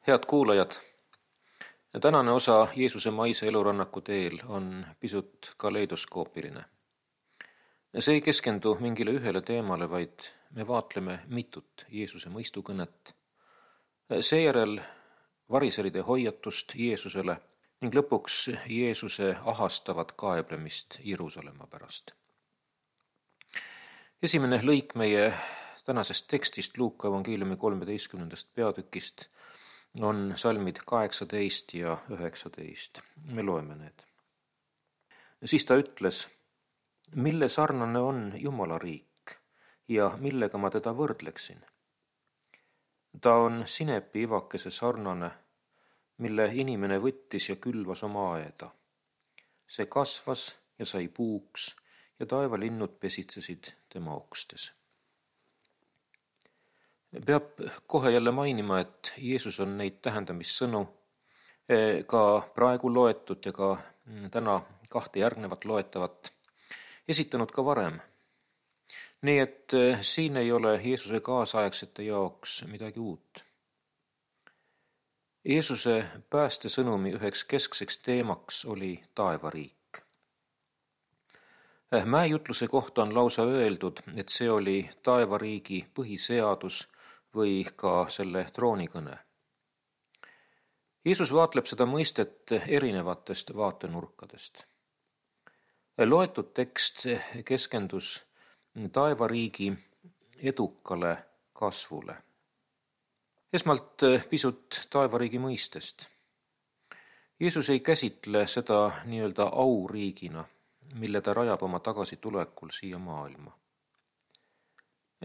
Head kuulajad, tänane osa Jeesuse maise elurannaku teel on pisut kaleidoskoopiline. See ei keskendu mingile ühele teemale, vaid me vaatleme mitut Jeesuse mõistukõnet, seejärel variseride hoiatust Jeesusele ning lõpuks Jeesuse ahastavat kaeblemist Jeruusalemma pärast. Esimene lõik meie tänasest tekstist Luuka evangeeliumi 13. peatükist on salmid 18 ja 19. Me loeme need. Siis ta ütles, mille sarnane on Jumala riik ja millega ma teda võrdleksin? Ta on sinepi ivakese sarnane, mille inimene võttis ja külvas oma aeda. See kasvas ja sai puuks ja taevalinnud pesitsesid tema okstes. Peab kohe jälle mainima, et Jeesus on neid tähendamissõnu ka praegu loetud ja ka täna kahte järgnevat loetavat esitanud ka varem. Nii et siin ei ole Jeesuse kaasaegsete jaoks midagi uut. Jeesuse päästesõnumi üheks keskseks teemaks oli taevariik. Mäejutluse kohta on lausa öeldud, et see oli taevariigi põhiseadus või ka selle troonikõne. Jeesus vaatleb seda mõistet erinevatest vaatenurkadest. Loetud tekst keskendus taevariigi edukale kasvule. Esmalt pisut taevariigi mõistest. Jeesus ei käsitle seda nii-öelda auriigina, mille ta rajab oma tagasitulekul siia maailma.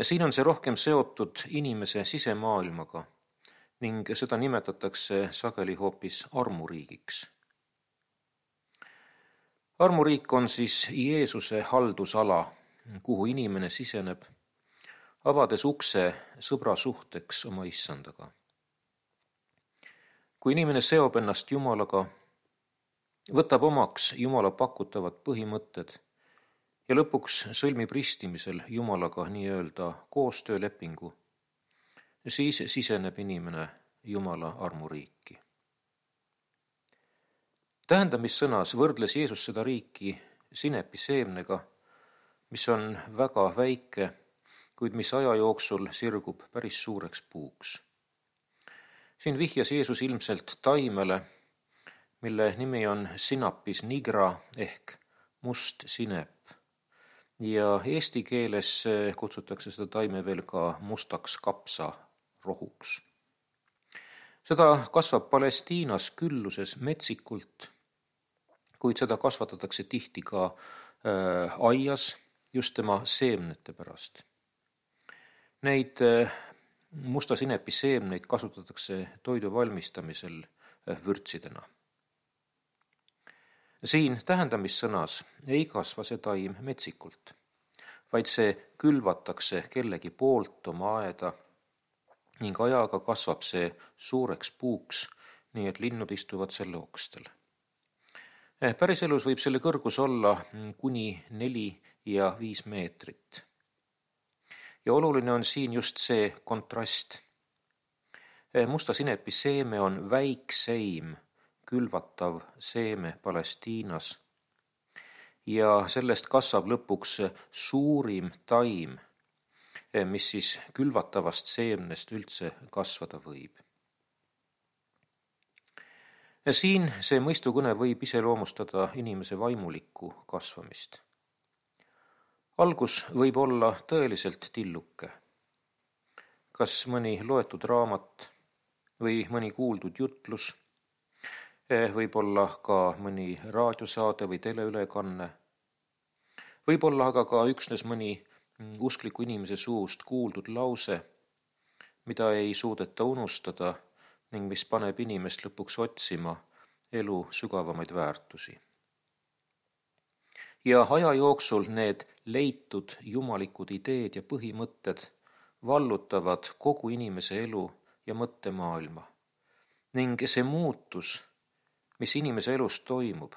Siin on see rohkem seotud inimese sisemaailmaga ning seda nimetatakse sageli hoopis armuriigiks. Armuriik on siis Jeesuse haldusala, kuhu inimene siseneb, avades ukse sõbra suhteks oma issandaga. Kui inimene seob ennast Jumalaga, võtab omaks Jumala pakutavad põhimõtted ja lõpuks sõlmib ristimisel Jumalaga nii-öelda koostöölepingu, siis siseneb inimene Jumala armuriiki. Tähendamissõnas võrdles Jeesus seda riiki sinepi seemnega, mis on väga väike, kuid mis aja jooksul sirgub päris suureks puuks. Siin vihjas Jeesus ilmselt taimele, mille nimi on Sinapis nigra ehk must sinep. Ja eesti keeles kutsutakse seda taime veel ka mustaks kapsarohuks. Seda kasvab Palestiinas külluses metsikult, kuid seda kasvatatakse tihti ka aias just tema seemnete pärast. Neid musta sinepi seemneid kasutatakse toidu valmistamisel vürtsidena. Siin tähendamissõnas ei kasva see taim metsikult, vaid see külvatakse kellegi poolt oma aeda ning ajaga kasvab see suureks puuks, nii et linnud istuvad selle okstel. Päriselus võib selle kõrgus olla kuni 4 ja 5 meetrit. Ja oluline on siin just see kontrast. Musta sinepi seeme on väikseim külvatav seeme Palestiinas ja sellest kasvab lõpuks suurim taim, mis siis külvatavast seemnest üldse kasvada võib. Siin see mõistukõne võib iseloomustada inimese vaimulikku kasvamist. Algus võib olla tõeliselt tilluke. Kas mõni loetud raamat või mõni kuuldud jutlus, võib olla ka mõni raadiosaade või teleülekanne, võib olla aga ka üksnes mõni uskliku inimese suust kuuldud lause, mida ei suudeta unustada ning mis paneb inimest lõpuks otsima elu sügavamaid väärtusi. Ja aja jooksul need leitud jumalikud ideed ja põhimõtted vallutavad kogu inimese elu ja mõttemaailma ning see muutus, mis inimese elus toimub,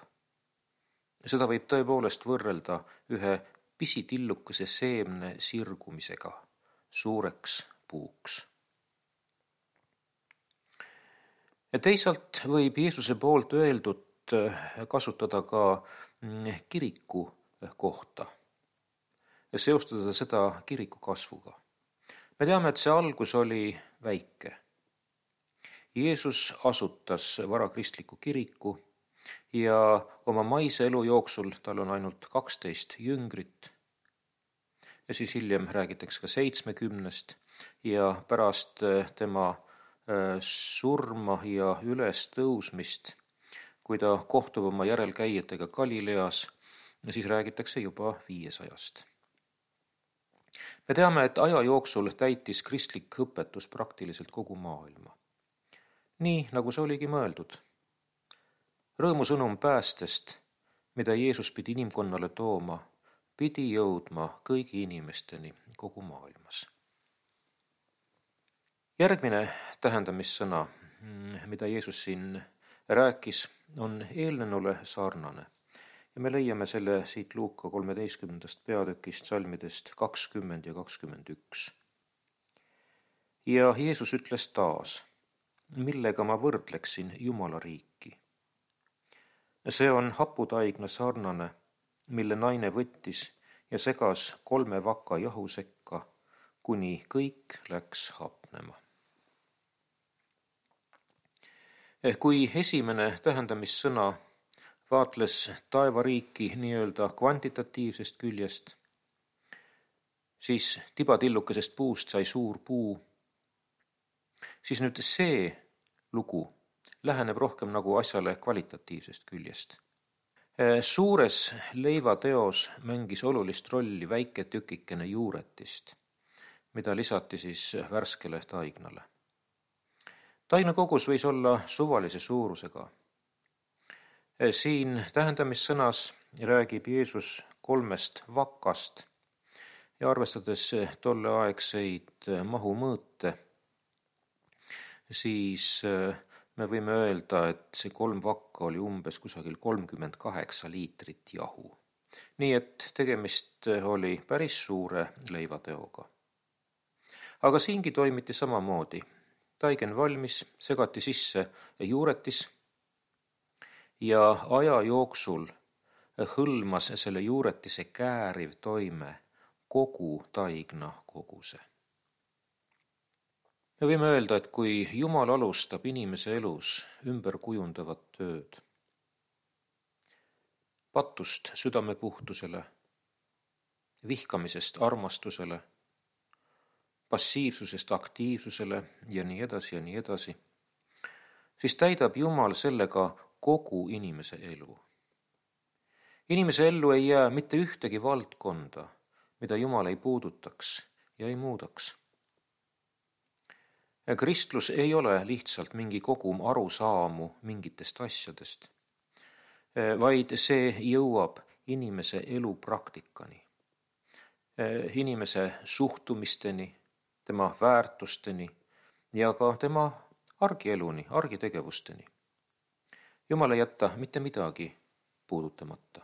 seda võib tõepoolest võrrelda ühe pisitillukese seemne sirgumisega suureks puuks. Ja teisalt võib Jeesuse poolt öeldut kasutada ka kiriku kohta ja seostada seda kiriku kasvuga. Me teame, et see algus oli väike. Jeesus asutas varakristliku kiriku ja oma maise elu jooksul tal on ainult 12 jüngrit. Ja siis hiljem räägitakse ka 70 ja pärast tema surma ja ülestõusmist, kui ta kohtub oma järelkäijatega Galileas, siis räägitakse juba 500. Me teame, et aja jooksul täitis kristlik õpetus praktiliselt kogu maailma. Nii, nagu see oligi mõeldud. Rõõmusõnum päästest, mida Jeesus pidi inimkonnale tooma, pidi jõudma kõigi inimesteni kogu maailmas. Järgmine tähendamissõna, mida Jeesus siin rääkis, on eelnenule sarnane. Ja me leiame selle siit Luuka 13. peatükist salmidest 20 ja 21. Ja Jeesus ütles taas, millega ma võrdleksin Jumala riiki. See on haputaigna sarnane, mille naine võttis ja segas 3 vaka jahu sekka, kuni kõik läks hapnema. Kui esimene tähendamissõna vaatles taevariiki nii-öelda kvantitatiivsest küljest, siis tibatillukesest puust sai suur puu, siis nüüd see lugu läheneb rohkem nagu asjale kvalitatiivsest küljest. Suures leivateos mängis olulist rolli väike tükikene juuretist, mida lisati siis värskele taignale. Taigna kogus võis olla suvalise suurusega. Siin tähendamissõnas räägib Jeesus 3 vakast ja arvestades tolleaegseid mahumõõte, siis me võime öelda, et see 3 vakka oli umbes kusagil 38 liitrit jahu. Nii et tegemist oli päris suure leivateoga. Aga siingi toimiti samamoodi. Taigen valmis, segati sisse juuretis ja aja jooksul hõlmas selle juuretise kääriv toime kogu taigna koguse. Me võime öelda, et kui Jumal alustab inimese elus ümberkujundavat tööd, patust südamepuhtusele, vihkamisest armastusele, passiivsusest aktiivsusele ja nii edasi, siis täidab Jumal sellega kogu inimese elu. Inimese ellu ei jää mitte ühtegi valdkonda, mida Jumal ei puudutaks ja ei muudaks. Kristlus ei ole lihtsalt mingi kogum arusaamu mingitest asjadest, vaid see jõuab inimese elu praktikani, inimese suhtumisteni, tema väärtusteni ja ka tema argieluni, argitegevusteni. Jumal ei jäta mitte midagi puudutamata.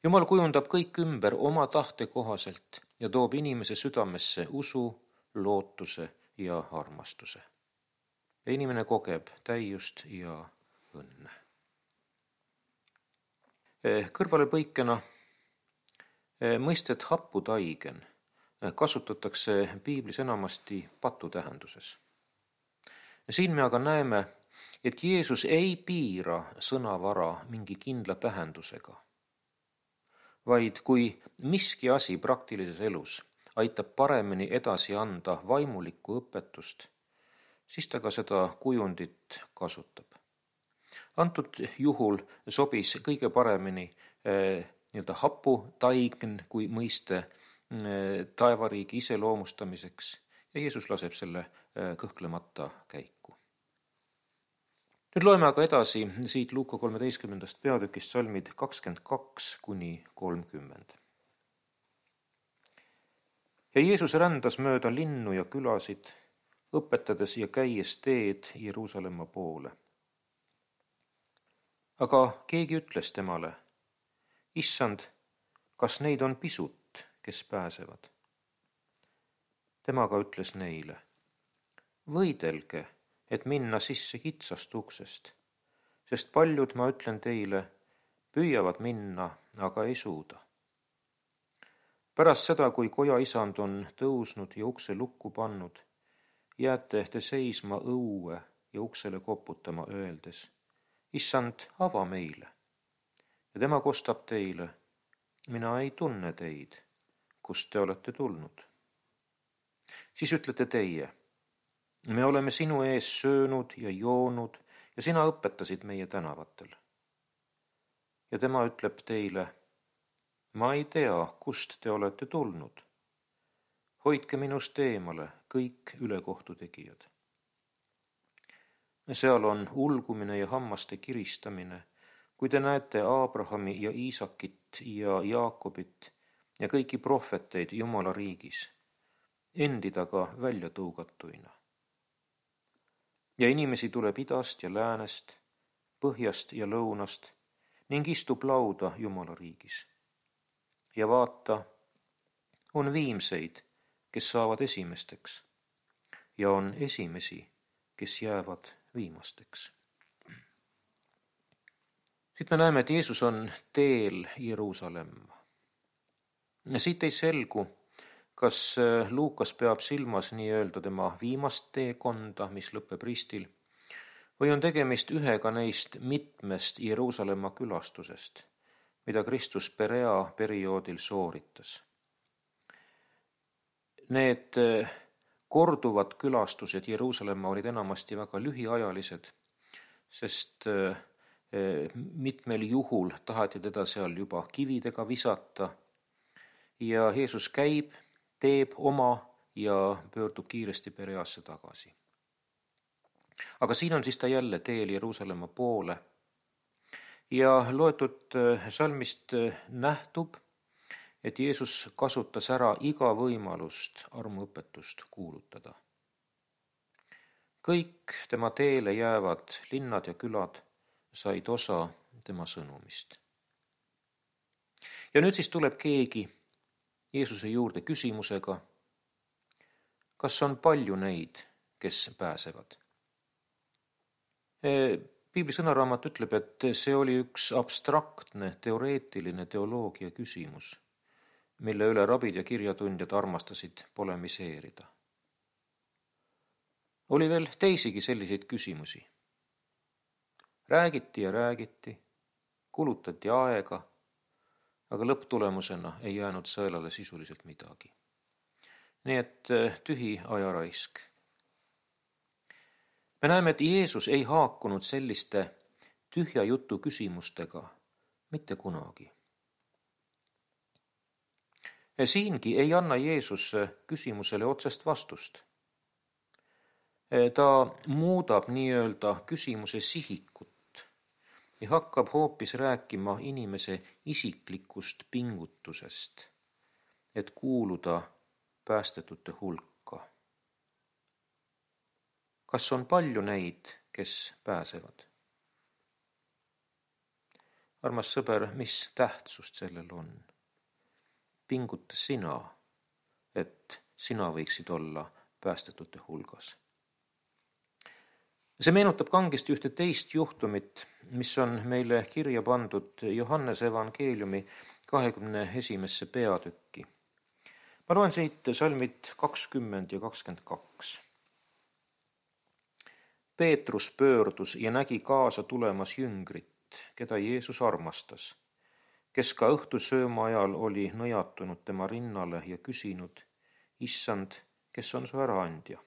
Jumal kujundab kõik ümber oma tahte kohaselt ja toob inimese südamesse usu, lootuse ja armastuse. Ja inimene kogeb täiust ja õnne. Kõrvalepõikena mõistet haputaigen kasutatakse piiblis enamasti patu tähenduses. Siin me aga näeme, et Jeesus ei piira sõnavara mingi kindla tähendusega, vaid kui miski asi praktilises elus aitab paremini edasi anda vaimulikku õpetust, siis ta ka seda kujundit kasutab. Antud juhul sobis kõige paremini haputaign kui mõiste taevariigi iseloomustamiseks ja Jeesus laseb selle kõhklemata käiku. Nüüd loeme aga edasi siit Luuka 13. peatükist salmid 22–30. Ja Jeesus rändas mööda linnu ja külasid, õpetades ja käies teed Jeruusalemma poole. Aga keegi ütles temale, Issand, kas neid on pisut, kes pääsevad? Tema aga ütles neile, võidelge, et minna sisse kitsast uksest, sest paljud, ma ütlen teile, püüavad minna, aga ei suuda. Pärast seda, kui koja isand on tõusnud ja ukse lukku pannud, jääte te seisma õue ja uksele koputama, öeldes: Issand, ava meile. Ja tema kostab teile: mina ei tunne teid, kust te olete tulnud. Siis ütlete teie: me oleme sinu ees söönud ja joonud ja sina õpetasid meie tänavatel. Ja tema ütleb teile: ma ei tea, kust te olete tulnud. Hoidke minust eemale kõik ülekohtu tegijad. Seal on ulgumine ja hammaste kiristamine, kui te näete Abrahami ja Iisakit ja Jaakobit ja kõiki prohveteid Jumala riigis, endi taga välja tõugatuina. Ja inimesi tuleb idast ja läänest, põhjast ja lõunast ning istub lauda Jumala riigis. Ja vaata, on viimseid, kes saavad esimesteks, ja on esimesi, kes jäävad viimasteks. Siit me näeme, et Jeesus on teel Jeruusalemma. Siit ei selgu, kas Luukas peab silmas nii-öelda tema viimast teekonda, mis lõpeb ristil, või on tegemist ühega neist mitmest Jeruusalemma külastusest, mida Kristus Perea perioodil sooritas. Need korduvad külastused Jeruusalemma olid enamasti väga lühiajalised, sest mitmel juhul taheti teda seal juba kividega visata ja Jeesus käib, teeb oma ja pöördub kiiresti Pereasse tagasi. Aga siin on siis ta jälle teel Jeruusalemma poole ja loetud salmist nähtub, et Jeesus kasutas ära iga võimalust armuõpetust kuulutada. Kõik tema teele jäävad linnad ja külad said osa tema sõnumist. Ja nüüd siis tuleb keegi Jeesuse juurde küsimusega: kas on palju neid, kes pääsevad? Piibli sõnaraamat ütleb, et see oli üks abstraktne, teoreetiline teoloogia küsimus, mille üle rabid ja kirjatundjad armastasid polemiseerida. Oli veel teisigi selliseid küsimusi. Räägiti ja räägiti, kulutati aega, aga lõpptulemusena ei jäänud sõelale sisuliselt midagi. Nii et tühi ajaraisk. Me näeme, et Jeesus ei haakunud selliste tühja jutu küsimustega mitte kunagi. Ja siingi ei anna Jeesus küsimusele otsest vastust. Ta muudab nii-öelda küsimuse sihikut ja hakkab hoopis rääkima inimese isiklikust pingutusest, et kuuluda päästetute hulka. Kas on palju neid, kes pääsevad? Armas sõber, mis tähtsust sellel on? Pinguta sina, et sina võiksid olla päästetute hulgas. See meenutab kangesti ühte teist juhtumit, mis on meile kirja pandud Johannese evangeeliumi 21. peatükki. Ma loen siit salmid 20 ja 22. Peetrus pöördus ja nägi kaasa tulemas jüngrit, keda Jeesus armastas, kes ka õhtusööma ajal oli nõjatunud tema rinnale ja küsinud: Issand, kes on su äraandja?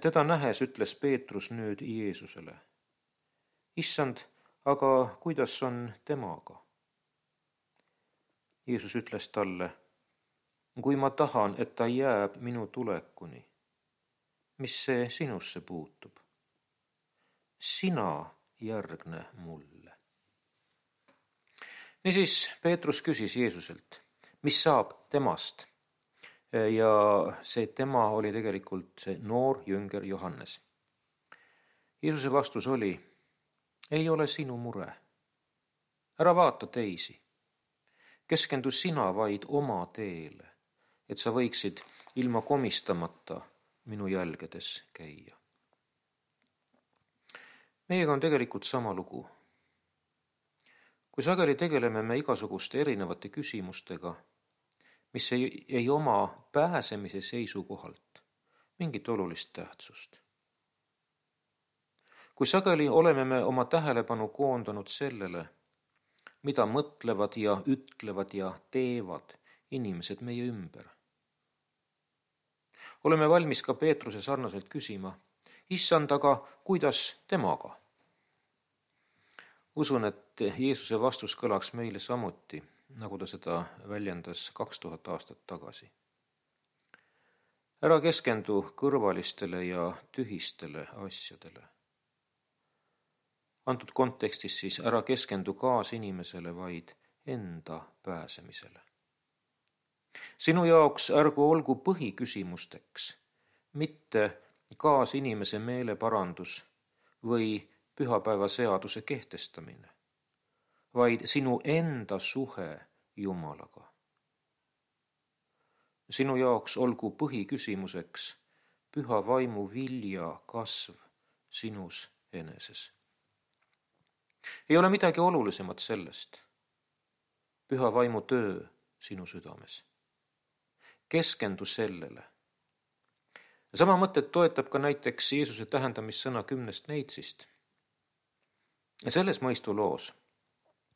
Teda nähes ütles Peetrus nüüd Jeesusele: Issand, aga kuidas on temaga? Jeesus ütles talle: kui ma tahan, et ta jääb minu tulekuni, mis see sinusse puutub? Sina järgne mulle. Niisiis Peetrus küsis Jeesuselt, mis saab temast? Ja see tema oli tegelikult see noor jünger Johannes. Jeesuse vastus oli: ei ole sinu mure. Ära vaata teisi. Keskendu sina vaid oma teele, et sa võiksid ilma komistamata minu jälgedes käia. Meiega on tegelikult sama lugu. Kui sageli tegeleme me igasuguste erinevate küsimustega, mis ei oma pääsemise seisukohalt mingit olulist tähtsust. Kui sageli oleme me oma tähelepanu koondanud sellele, mida mõtlevad ja ütlevad ja teevad inimesed meie ümber. Oleme valmis ka Peetruse sarnaselt küsima, issand, aga kuidas temaga? Usun, et Jeesuse vastus kõlaks meile samuti, nagu ta seda väljendas 2000 aastat tagasi. Ära keskendu kõrvalistele ja tühistele asjadele. Antud kontekstis siis ära keskendu kaasinimesele, vaid enda pääsemisele. Sinu jaoks ärgu olgu põhiküsimusteks mitte kaasinimese meeleparandus või pühapäevaseaduse kehtestamine, vaid sinu enda suhe Jumalaga. Sinu jaoks olgu põhiküsimuseks püha vaimu vilja kasv sinus eneses. Ei ole midagi olulisemat sellest. Püha vaimu töö sinu südames. Keskendu sellele. Sama mõtet toetab ka näiteks Jeesuse tähendamissõna 10 neitsist. Selles mõistuloos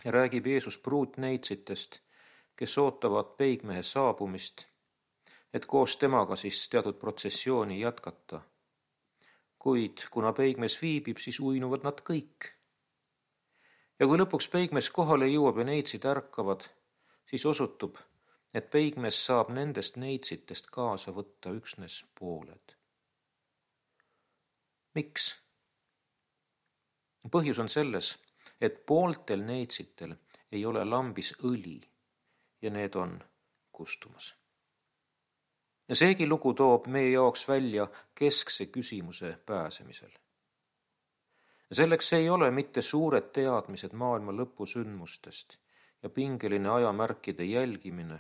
räägib Jeesus pruutneitsitest, kes ootavad peigmehe saabumist, et koos temaga siis teatud protsessiooni jätkata. Kuid kuna peigmees viibib, siis uinuvad nad kõik. Ja kui lõpuks peigmees kohale jõuab ja neitsid ärkavad, siis osutub, et peigmees saab nendest neitsitest kaasa võtta üksnes pooled. Miks? Põhjus on selles, et pooltel neitsitel ei ole lambis õli ja need on kustumas. Ja seegi lugu toob meie jaoks välja keskse küsimuse pääsemisel. Selleks ei ole mitte suured teadmised maailma lõpusündmustest ja pingeline ajamärkide jälgimine,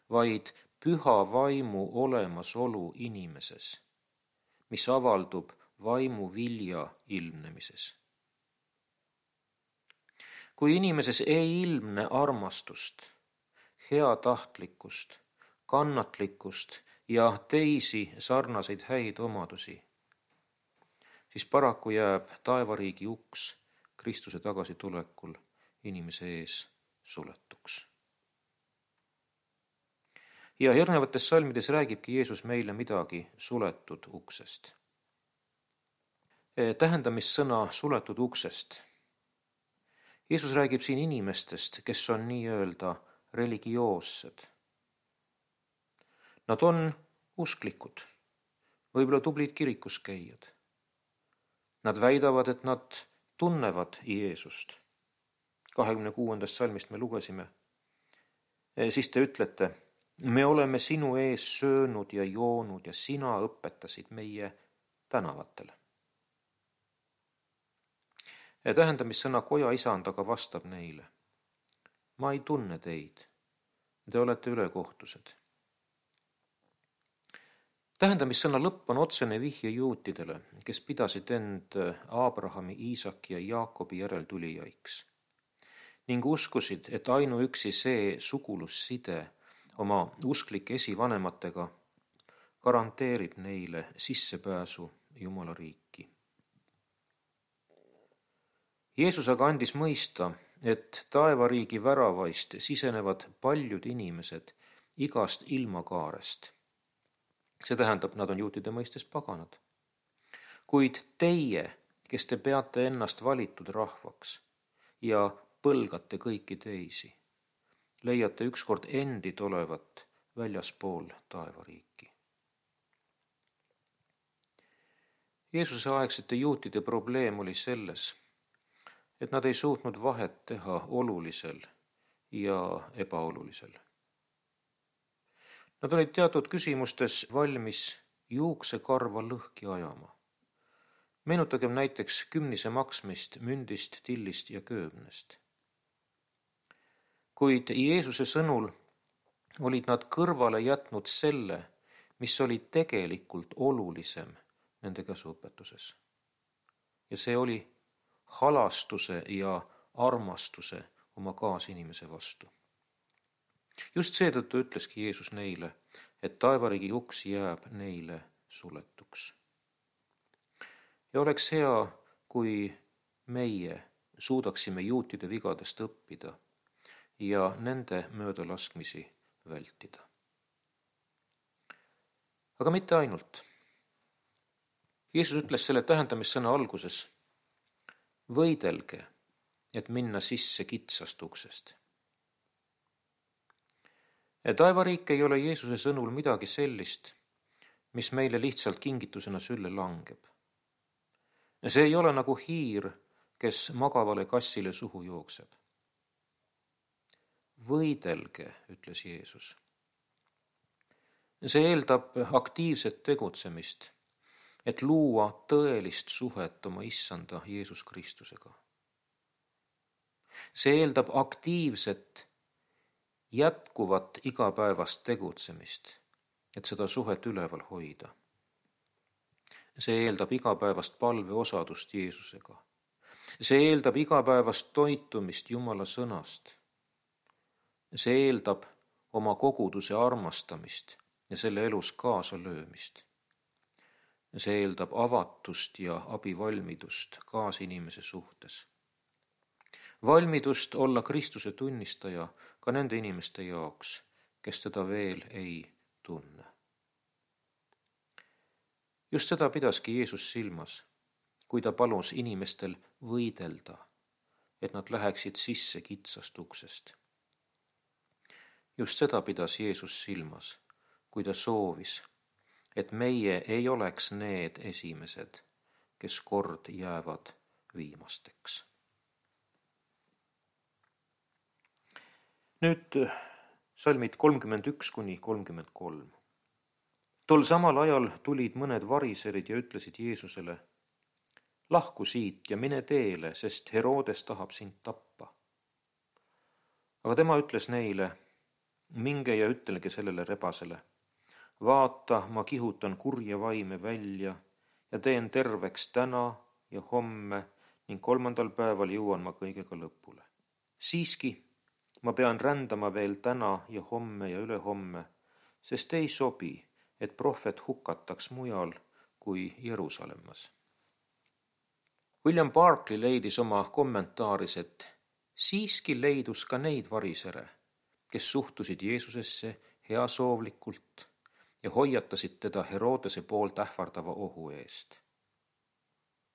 vaid püha vaimu olemasolu inimeses, mis avaldub vaimu vilja ilmnemises. Kui inimeses ei ilmne armastust, heatahtlikkust, kannatlikkust ja teisi sarnaseid häid omadusi, siis paraku jääb taevariigi uks Kristuse tagasitulekul inimese ees suletuks. Ja järgnevates salmides räägibki Jeesus meile midagi suletud uksest. Tähendamissõna suletud uksest. Jeesus räägib siin inimestest, kes on nii-öelda religioossed. Nad on usklikud, võib-olla tublid kirikuskäijad. Nad väidavad, et nad tunnevad Jeesust. 26. salmist me lugesime. Siis te ütlete, me oleme sinu ees söönud ja joonud ja sina õpetasid meie tänavatel. Tähendamissõna koja isand aga vastab neile. Ma ei tunne teid. Te olete ülekohtused. Tähendamissõna lõpp on otsene vihje juutidele, kes pidasid end Aabrahami, Iisaki ja Jaakobi järeltulijaiks ning uskusid, et ainuüksi see sugulusside oma usklike esivanematega garanteerib neile sissepääsu Jumala riiki. Jeesus aga andis mõista, et taevariigi väravaist sisenevad paljud inimesed igast ilmakaarest. See tähendab, nad on juutide mõistes paganad. Kuid teie, kes te peate ennast valitud rahvaks ja põlgate kõiki teisi, leiate ükskord endid olevat väljaspool taevariiki. Jeesuse aegsete juutide probleem oli selles, et nad ei suutnud vahet teha olulisel ja ebaolulisel. Nad olid teatud küsimustes valmis juuksekarva lõhki ajama. Meenutagem näiteks kümnise maksmist mündist, tillist ja köömnest. Kuid Jeesuse sõnul olid nad kõrvale jätnud selle, mis oli tegelikult olulisem nende käsuõpetuses. Ja see oli halastuse ja armastuse oma kaasinimese vastu. Just seetõttu ütleski Jeesus neile, et taevariigi uks jääb neile suletuks. Ja oleks hea, kui meie suudaksime juutide vigadest õppida ja nende möödalaskmisi vältida. Aga mitte ainult. Jeesus ütles selle tähendamissõna alguses: võidelge, et minna sisse kitsast uksest. Taevariik ei ole Jeesuse sõnul midagi sellist, mis meile lihtsalt kingitusena sülle langeb. See ei ole nagu hiir, kes magavale kassile suhu jookseb. Võidelge, ütles Jeesus. See eeldab aktiivset tegutsemist, et luua tõelist suhet oma issanda Jeesus Kristusega. See eeldab aktiivset, jätkuvat igapäevast tegutsemist, et seda suhet üleval hoida. See eeldab igapäevast palveosadust Jeesusega. See eeldab igapäevast toitumist Jumala sõnast. See eeldab oma koguduse armastamist ja selle elus kaasalöömist. See eeldab avatust ja abivalmidust kaasinimese suhtes. Valmidust olla Kristuse tunnistaja ka nende inimeste jaoks, kes teda veel ei tunne. Just seda pidaski Jeesus silmas, kui ta palus inimestel võidelda, et nad läheksid sisse kitsast uksest. Just seda pidas Jeesus silmas, kui ta soovis, et meie ei oleks need esimesed, kes kord jäävad viimasteks. Nüüd salmid 31–33. Tol samal ajal tulid mõned variserid ja ütlesid Jeesusele: lahku siit ja mine teele, sest Herodes tahab sind tappa. Aga tema ütles neile: minge ja ütelge sellele rebasele: vaata, ma kihutan kurja vaime välja ja teen terveks täna ja homme ning 3. päeval jõuan ma kõigega lõpule. Siiski ma pean rändama veel täna ja homme ja ülehomme, sest ei sobi, et prohvet hukataks mujal kui Jeruusalemmas. William Barclay leidis oma kommentaaris, et siiski leidus ka neid varisere, kes suhtusid Jeesusesse heasoovlikult ja hoiatasid teda Herodese poolt ähvardava ohu eest.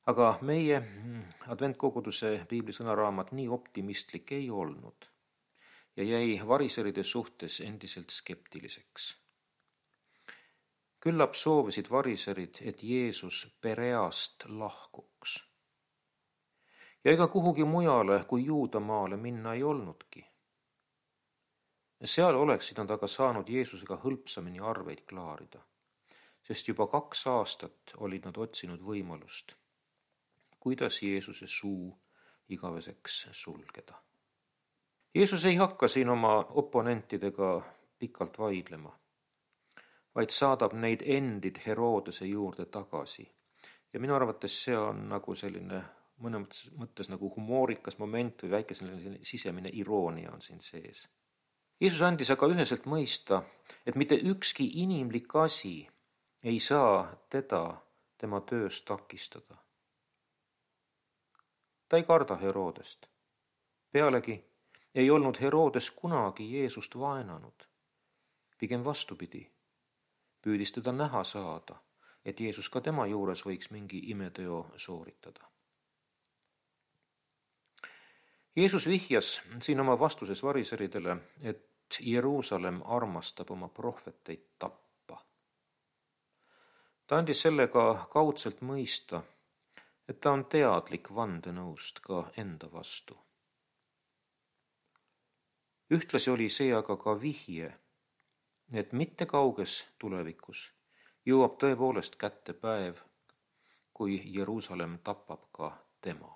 Aga meie adventkoguduse piiblisõnaraamat nii optimistlik ei olnud ja jäi variseride suhtes endiselt skeptiliseks. Küllap soovisid variserid, et Jeesus Pereast lahkuks. Ja ega kuhugi mujale kui Juudamaale minna ei olnudki. Seal oleksid nad aga saanud Jeesusega hõlpsamini arveid klaarida, sest juba 2 aastat olid nad otsinud võimalust, kuidas Jeesuse suu igaveseks sulgeda. Jeesus ei hakka siin oma oponentidega pikalt vaidlema, vaid saadab neid endid Herodese juurde tagasi. Ja minu arvates see on nagu selline mõnes mõttes nagu humoorikas moment või väike selline sisemine iroonia on siin sees. Jeesus andis aga üheselt mõista, et mitte ükski inimlik asi ei saa teda tema töös takistada. Ta ei karda Herodest. Pealegi ei olnud Herodes kunagi Jeesust vaenanud. Pigem vastupidi, püüdis teda näha saada, et Jeesus ka tema juures võiks mingi imeteo sooritada. Jeesus vihjas siin oma vastuses variseridele, et Jeruusalemm armastab oma prohveteid tappa. Ta andis sellega kaudselt mõista, et ta on teadlik vandenõust ka enda vastu. Ühtlasi oli see aga ka vihje, et mitte kauges tulevikus jõuab tõepoolest kätte päev, kui Jeruusalemm tapab ka tema.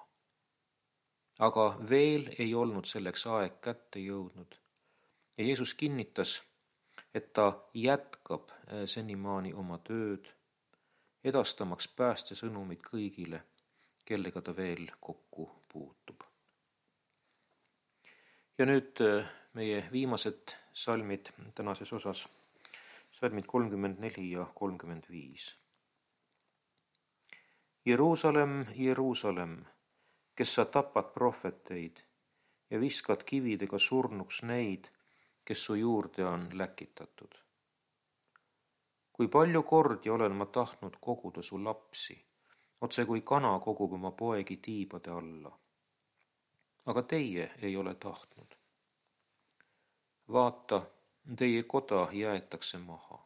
Aga veel ei olnud selleks aeg kätte jõudnud ja Jeesus kinnitas, et ta jätkab senimaani oma tööd, edastamaks päästesõnumit kõigile, kellega ta veel kokku puutub. Ja nüüd meie viimased salmid tänases osas, salmid 34 ja 35. Jeruusalemm, Jeruusalemm, kes sa tapad prohveteid ja viskad kividega surnuks neid, kes su juurde on läkitatud. Kui palju kordi olen ma tahtnud koguda su lapsi, otse kui kana kogub oma poegi tiibade alla. Aga teie ei ole tahtnud. Vaata, teie koda jäetakse maha.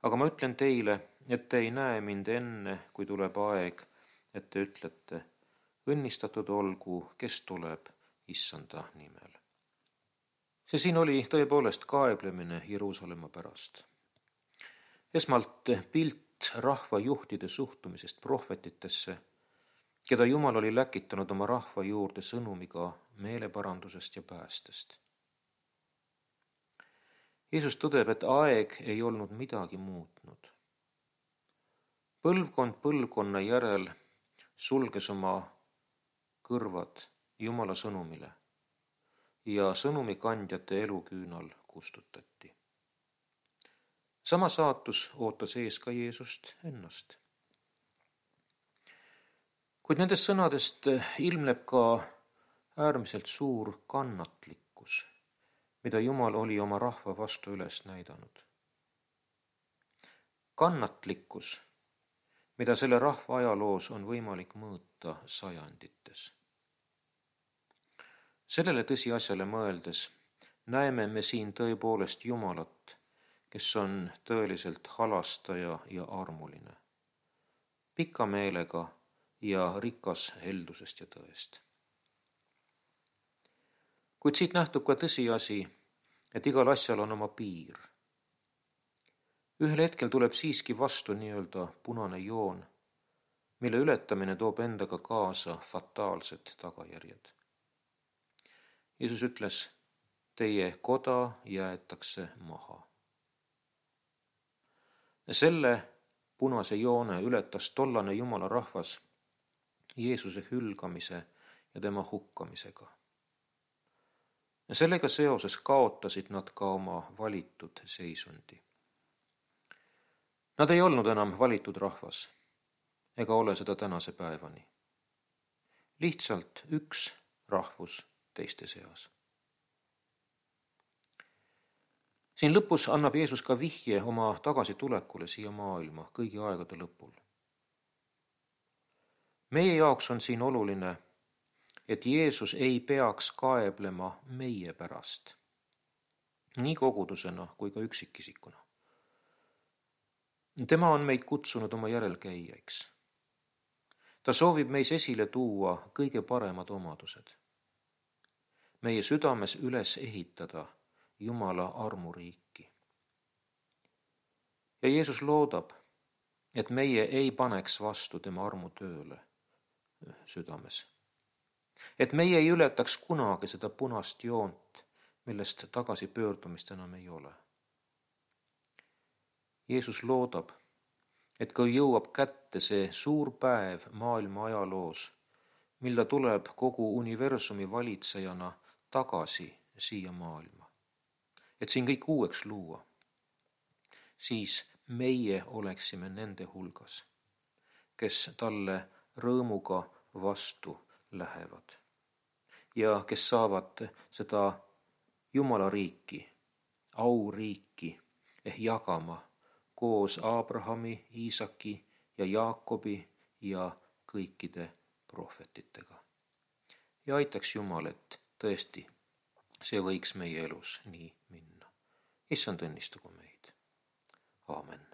Aga ma ütlen teile, et te ei näe mind enne, kui tuleb aeg, et te ütlete, õnnistatud olgu, kes tuleb Issanda nimel. See siin oli tõepoolest kaeblemine Jeruusalemma pärast. Esmalt pilt rahvajuhtide suhtumisest prohvetitesse, keda Jumal oli läkitanud oma rahva juurde sõnumiga meeleparandusest ja päästest. Jeesus tõdeb, et aeg ei olnud midagi muutnud. Põlvkond põlvkonna järel sulges oma kõrvad Jumala sõnumile ja sõnumikandjate eluküünal kustutati. Sama saatus ootas ees ka Jeesust ennast. Kuid nendest sõnadest ilmneb ka äärmiselt suur kannatlikkus, mida Jumal oli oma rahva vastu üles näidanud. Kannatlikkus, mida selle rahva ajaloos on võimalik mõõta sajandites. Sellele tõsiasjale mõeldes näeme me siin tõepoolest Jumalat, kes on tõeliselt halastaja ja armuline, pika meelega ja rikas heldusest ja tõest. Kuid siit nähtub ka tõsiasi, et igal asjal on oma piir. Ühel hetkel tuleb siiski vastu nii-öelda punane joon, mille ületamine toob endaga kaasa fataalsed tagajärjed. Jeesus ütles, teie koda jäetakse maha. Selle punase joone ületas tollane Jumala rahvas Jeesuse hülgamise ja tema hukkamisega. Sellega seoses kaotasid nad ka oma valitud seisundi. Nad ei olnud enam valitud rahvas, ega ole seda tänase päevani. Lihtsalt üks rahvus teiste seas. Siin lõpus annab Jeesus ka vihje oma tagasitulekule siia maailma kõigi aegade lõpul. Meie jaoks on siin oluline, et Jeesus ei peaks kaeblema meie pärast, nii kogudusena kui ka üksikisikuna. Tema on meid kutsunud oma järelkäijaiks. Ta soovib meis esile tuua kõige paremad omadused. Meie südames üles ehitada Jumala armuriiki. Ja Jeesus loodab, et meie ei paneks vastu tema armutööle südames. Et meie ei ületaks kunagi seda punast joont, millest tagasipöördumist enam ei ole. Jeesus loodab, et kui jõuab kätte see suur päev maailma ajaloos, mil ta tuleb kogu universumi valitsejana tagasi siia maailma, et siin kõik uueks luua, siis meie oleksime nende hulgas, kes talle rõõmuga vastu lähevad ja kes saavad seda Jumala riiki, auriiki jagama koos Abrahami, Iisaki ja Jaakobi ja kõikide prohvetitega. Ja aitaks Jumal, et tõesti see võiks meie elus nii minna. Issand õnnistagu meid. Aamen.